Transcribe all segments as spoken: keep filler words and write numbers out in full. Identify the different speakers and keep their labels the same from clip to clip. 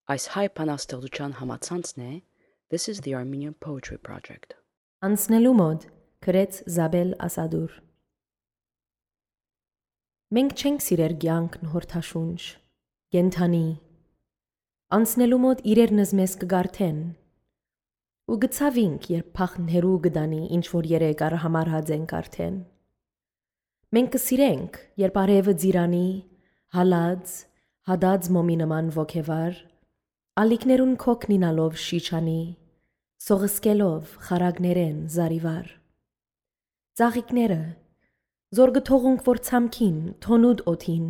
Speaker 1: Այս հայ բանաստեղծության համացանցն է This is the Armenian Poetry Project.
Speaker 2: Անցնելու մոտ գրեց Զաբել Ասադուր։ Մենք չենք սիրեր կյանքն հորթաշունչ, գենթանի, անցնելու մոտ իրերնս մեզ կգարթեն, ու գցավինք, երբ փախն հերու գդանի, ինչ-որ երեկ արհամարհած ենք արդեն։ Մենք կսիրենք, երբ արևը ձիրանի, հալած, հադած մոմի նման ոգևար, ալիքներուն քոքնինալով շիչանի, սողսկելով խարագներեն զարիվար։ Ծաղիկները, զորգը թողունք որ ցամքին, թոնուդ օթին,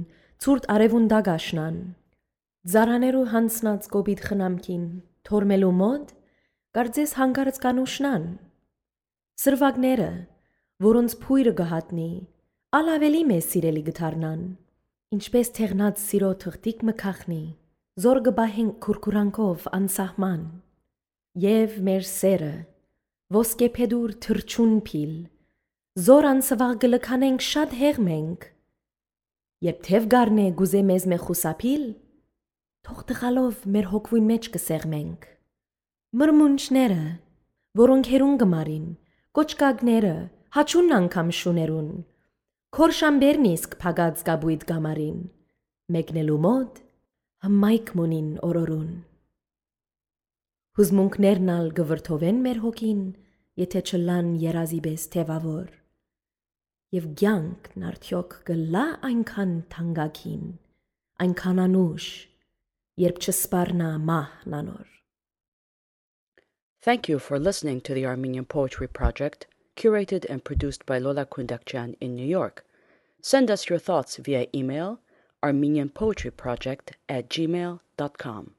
Speaker 2: ցուրտ արևուն դագաշնան, զարաներու հանցնած կոբիտ խնամքին, թորմելու մոտ, կարծես հանգարց կանուշնան։ Սրվագները, որոնց փույրը գհատնի, ալ ավելի մեզ սիրելի գթարնան, ինչպես թեղնած սիրո թղթիկ մքախնի, զորգը բահենք քուրքուրանքով անսահման, եւ մեր սերը, ոսկե փեդուր թրջուն փիլ, զոր անսվաղ գլքանենք շատ հեղմենք, երբ թև գարնե գուզե մեզ մե խուսափիլ, թող տղալով մեր հոգվույն մեջ կսեղմենք։ Մրմունջները, որոնք հերուն գմարին, կոճկագները, հաչունն անգամ շուներուն, քորշամբերն իսկ փագած գաբույտ գամարին, մեկնելու մոտ հմայք մունին օրորուն։ Հուզմունքներն ալ գվրթովեն մեր հոգին, եթե չլան երազի պես թևավոր, և կյանքն արդյոք գլա այնքան թանկագին, այնքան անուշ, երբ չսպառնա մահն անոր։
Speaker 1: Thank you for listening to the Armenian Poetry Project, curated and produced by Lola Kundakjian in New York. Send us your thoughts via email armenian poetry project at gmail dot com.